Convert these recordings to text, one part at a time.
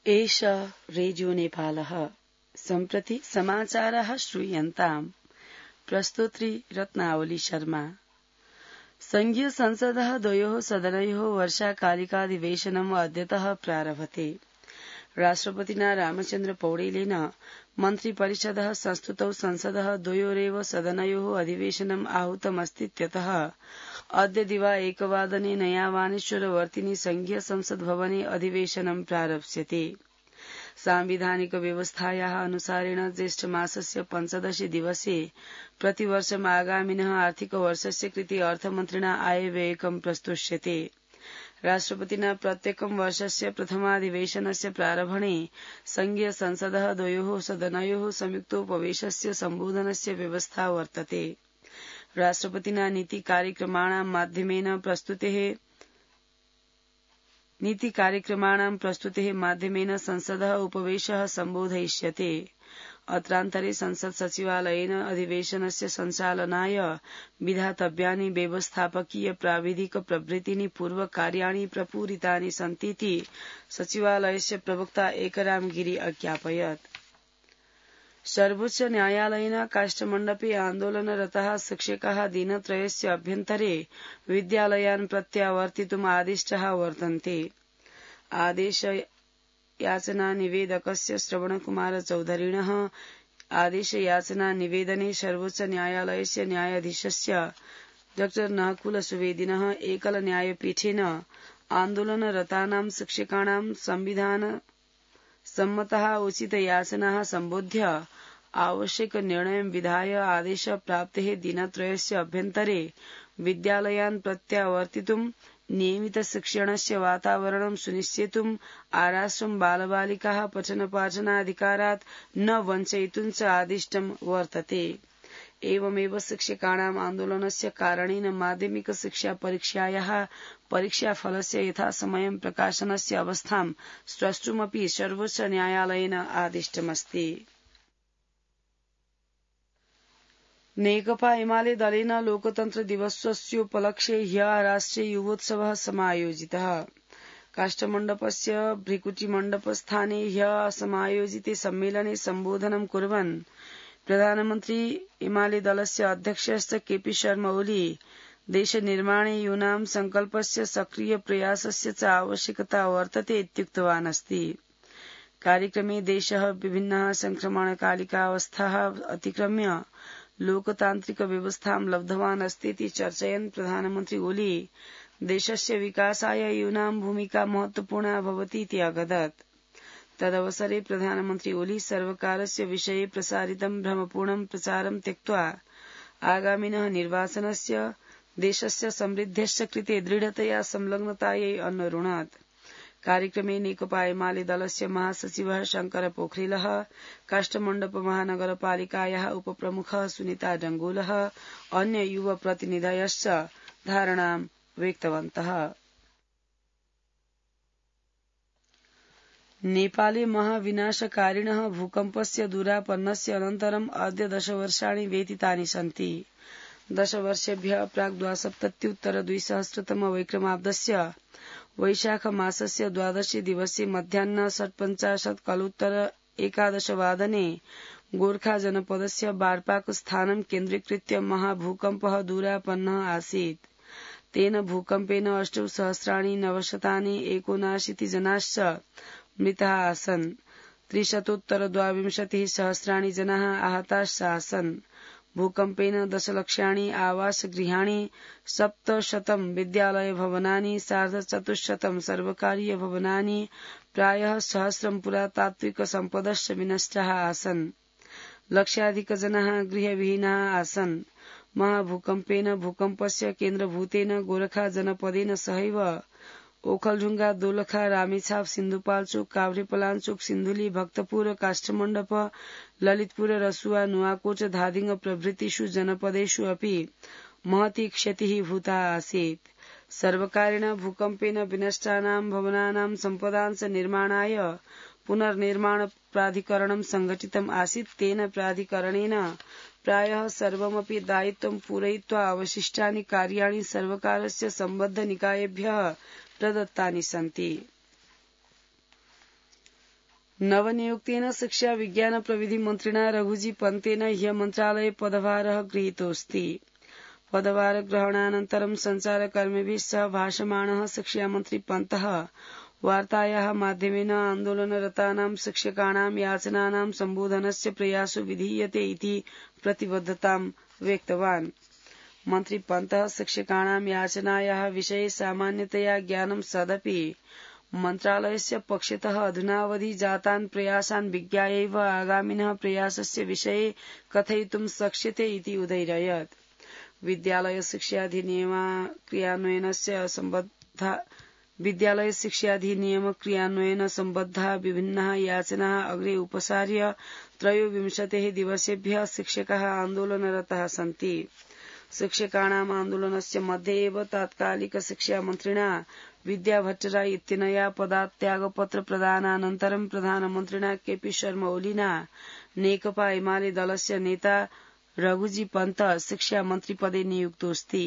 एष रेडियो नेपालः सम्प्रति समाचारः श्रूयन्ताम्। प्रस्तोत्री रत्नावली शर्मा। संघीय संसदः द्वयोः सदनयोः वर्षाकालिकाधिवेशनम् अद्यतः प्रारभते। राष्ट्रपतिना रामचन्द्र पौडेलेन मन्त्रिपरिषदः संस्तुतौ संसदः द्वयोरेव सदनयोः अधिवेशनम् आहूतमस्तीत्यतः अद्य दिवा 1:00 नयावानेश्वरवर्तिनि संघीय संसद भवने अधिवेशनं प्रारप्स्यते। सांविधानिक व्यवस्थायाः अनुसारेण ज्येष्ठमासस्य 15 दिवसे प्रतिवर्षम् आगामिनः आर्थिकवर्षस्य कृते अर्थमन्त्रिणा आयव्ययकं प्रस्तोष्यते। राष्ट्रपतिना प्रत्येकं वर्षस्य प्रथमाधिवेशनस्य प्रारम्भणे संघीय संसदः द्वयोः सदनयोः संयुक्तोपवेशस्य सम्बोधनस्य व्यवस्था वर्तते। राष्ट्रपतिना नीतिकार्यक्रमाणां माध्यमेन संसदः उपवेशः सम्बोधयिष्यते। अत्रान्तरे संसत् सचिवालयेन अधिवेशनस्य सञ्चालनाय विधातव्यानि व्यवस्थापकीय प्राविधिक प्रभृतीनि पूर्वकार्याणि प्रपूरितानि सन्तीति सचिवालयस्य प्रवक्ता एकराम गिरी अज्ञापयत्। सर्वोच्च न्यायालयेन काष्ठमण्डपे आन्दोलनरताः शिक्षकाः दिनत्रयस्य अभ्यन्तरे विद्यालयान् प्रत्यावर्तितुम् आदिष्टाः वर्तन्ते। आदेशयाचना निवेदकस्य श्रवणकुमार चौधरिणः आदेशयाचना निवेदने सर्वोच्च न्यायालयस्य न्यायाधीशस्य डॉ नहकुल सुवेदिनः एकल न्यायपीठेन आन्दोलनरतानां शिक्षकाणां संविधान सम्मताः उचित याचनाः सम्बोध्य आवश्यक निर्णयं विधाय आदेश प्राप्तेः दिनत्रयस्य अभ्यन्तरे विद्यालयान् प्रत्यावर्तितुं नियमित शिक्षणस्य वातावरणं सुनिश्चेतुम् आराश्रम बालबालिकाः पठनपाठनाधिकारात् न वञ्चयितुं च आदिष्टं वर्तते। एवमेव शिक्षकाणाम् आन्दोलनस्य कारणेन माध्यमिक शिक्षा परीक्षायाः परीक्षाफलस्य यथासमयं प्रकाशनस्य अवस्थां स्रष्टुमपि सर्वोच्च न्यायालयेन आदिष्टमस्ति। नेकपा एमाले दलेन लोकतन्त्र दिवसस्योपलक्ष्ये ह्यः राष्ट्रिय युवोत्सवः समायोजितः। काष्ठमण्डपस्य भृकुटिमण्डपस्थाने ह्यः समायोजिते सम्मेलने सम्बोधनं कुर्वन् प्रधानमन्त्री एमाले दलस्य अध्यक्षश्च केपी शर्मा ओली देशनिर्माणे यूनां संकल्पस्य सक्रिय प्रयासस्य च आवश्यकता वर्तते इत्युक्तवान् अस्ति। कार्यक्रमे देशः विभिन्नाः संक्रमणकालिकावस्थाः अतिक्रम्य लोकतान्त्रिक व्यवस्थां लब्धवान् अस्तीति चर्चयन् प्रधानमन्त्री ओली देशस्य विकासाय यूनां भूमिका महत्वपूर्णा भवतीति अगदत्। तदवसरे प्रधानमन्त्री ओली सर्वकारस्य विषये प्रसारितं भ्रमपूर्णं प्रचारं त्यक्त्वा आगामिनः निर्वाचनस्य देशस्य समृद्धेश्च कृते दृढतया संलग्नतायै अन्वरुणत्। कार्यक्रमे नेकपा एमाले दलस्य महासचिवः शंकर पोखरेलः, काष्ठमण्डप महानगरपालिकायाः उपप्रमुखः सुनीता डंगोलः, अन्य युवा प्रतिनिधयश्च धारणां व्यक्तवन्तः। नेपाले महाविनाशकारिणः भूकम्पस्य दूरापन्नस्य अनन्तरम् अद्य 10 वर्षाणि व्यतीतानि सन्ति। 10 वर्षेभ्यः प्राक् 72-2000 वैक्रमाब्दस्य वैशाख मासस्य 12 दिवसे मध्याह्न 57:11 गोर्खा जनपदस्य बार्पाक स्थानं केन्द्रीकृत्य महाभूकम्पः दूरापन्नः आसीत्। तेन भूकम्पेन 8,979 जनाश्च मृताः आसन्। 300,022 जनाः आहताश्च आसन्। भूकम्पेन 10 लक्षाणि आवासगृहाणि, 700 विद्यालयभवनानि, 450 सर्वकारीयभवनानि, प्रायः 1000 पुरातात्विक सम्पदश्च विनष्टाः आसन्। लक्षाधिकजनाः गृहविहीनाः आसन्। महाभूकम्पेन भूकम्पस्य केन्द्रभूतेन गोरखा जनपदेन सहैव ओखलढुंगा, दोलखा, रामेछाप, सिन्धुपाल्चोक, काभ्रेपलाञ्चोक, सिन्धुली, भक्तपुर, काष्ठमण्डप, ललितपुर, रसुवा, नुवाकोट, धादिङ प्रभृतिषु जनपदेषु अपि महती क्षतिः भूता आसीत्। सर्वकारेण भूकम्पेन विनष्टानां भवनानां सम्पदांश निर्माणाय पुनर्निर्माण प्राधिकरणं संघटितम् आसीत्। तेन प्राधिकरणेन प्रायः सर्वमपि दायित्वं पूरयित्वा अवशिष्टानि कार्याणि सर्वकारस्य सम्बद्ध निकायेभ्यः प्रदत्तानि सन्ति। नवनियुक्तेन शिक्षा विज्ञान प्रविधि मन्त्रिणा रघुजी पन्तेन ह्य मन्त्रालये पदभारः गृहीतोऽस्ति। पदभारग्रहणानन्तरं सञ्चारकर्मिभिः सह भाषमाणः शिक्षामन्त्री पन्तः वार्तायाः माध्यमेन आन्दोलनरतानां शिक्षकाणां याचनानां सम्बोधनस्य प्रयासो विधीयते इति प्रतिबद्धतां व्यक्तवान्। मन्त्री पन्तः शिक्षकाणां याचनायाः विषये सामान्यतया ज्ञानं सदपि मन्त्रालयस्य पक्षतः अधुनावधि जातान् प्रयासान् विज्ञायैव आगामिनः प्रयासस्य विषये कथयितुं शक्यते इति उदयरयत्। विद्यालय शिक्षाधिनियम क्रियान्वयन सम्बद्धा विभिन्नाः याचनाः अग्रे उपसार्य 23 दिवसेभ्यः शिक्षकाः आन्दोलनरताः सन्ति। शिक्षकाणाम् आन्दोलनस्य मध्ये एव तात्कालिक शिक्षामन्त्रिणा विद्याभट्टराय इत्यनया पदात्यागपत्र प्रदानानन्तरं प्रधानमन्त्रिणा केपी शर्मा ओलीना नेकपा एमाले दलस्य नेता रघुजी पन्त शिक्षामन्त्रिपदे नियुक्तोऽस्ति।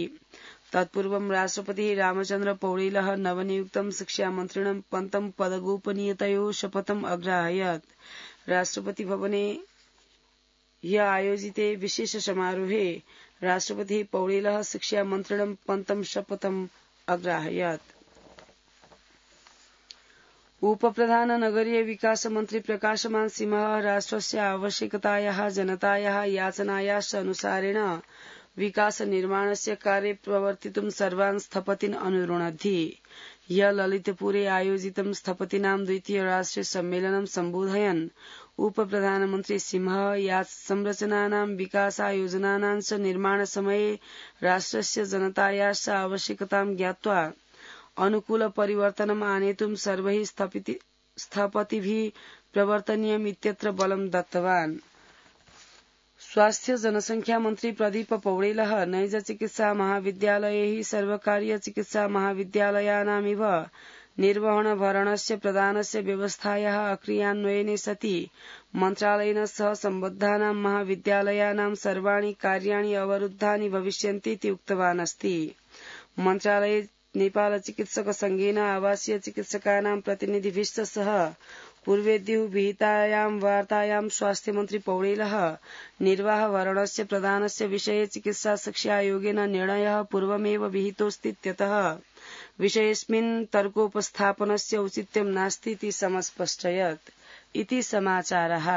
तत्पूर्वं राष्ट्रपतिः रामचन्द्र पौडेलः नवनियुक्तं शिक्षामन्त्रिणं पन्तं पदगोपनीयतयोः शपथम् अग्राहयत्। राष्ट्रपति भवने ह्य आयोजिते विशेष समारोहे राष्ट्रपतिः पौडेलः शिक्षामन्त्रिणं पन्तं शपथम् अग्राहयत्। उपप्रधान नगरीय विकास मन्त्री प्रकाशमान सिंहः राष्ट्रस्य आवश्यकतायाः जनतायाः याचनायाश्च अनुसारेण विकास निर्माणस्य कार्ये प्रवर्तितुं सर्वान् स्थपतीन् अनुरुणद्धि। ह्यः ललितपुरे आयोजितं स्थपतीनां द्वितीय राष्ट्रिय सम्मेलनं सम्बोधयन् उपप्रधानमन्त्री सिंहः याच संरचनानां विकासायोजनानां च निर्माणसमये राष्ट्रस्य जनतायाश्च आवश्यकतां ज्ञात्वा अनुकूल परिवर्तनम् आनेतुं सर्वैः स्थपतिभिः प्रवर्तनीयम् इत्यत्र बलं दत्तवान्। स्वास्थ्य जनसंख्या मन्त्री प्रदीप पौडेलः नैज चिकित्सा महाविद्यालयैः सर्वकारीय चिकित्सा महाविद्यालयानामिव निर्वहणभरणस्य प्रदानस्य व्यवस्थायाः अक्रियान्वयने सति मन्त्रालयेन सह सम्बद्धानां महाविद्यालयानां सर्वाणि कार्याणि अवरुद्धानि भविष्यन्ति इति उक्तवान् अस्ति। मन्त्रालये नेपाल चिकित्सक संघेन आवासीय चिकित्सकानां प्रतिनिधिभिश्च सह पूर्वेद्युः विहितायां वार्तायां स्वास्थ्यमन्त्री पौडेलः निर्वाहभरणस्य प्रदानस्य विषये चिकित्सा शिक्षा आयोगेन निर्णयः पूर्वमेव विहितोऽस्तीत्यतः विषयेऽस्मिन् तर्कोपस्थापनस्य औचित्यं नास्ति इति समस्पष्टयत्। इति समाचारः।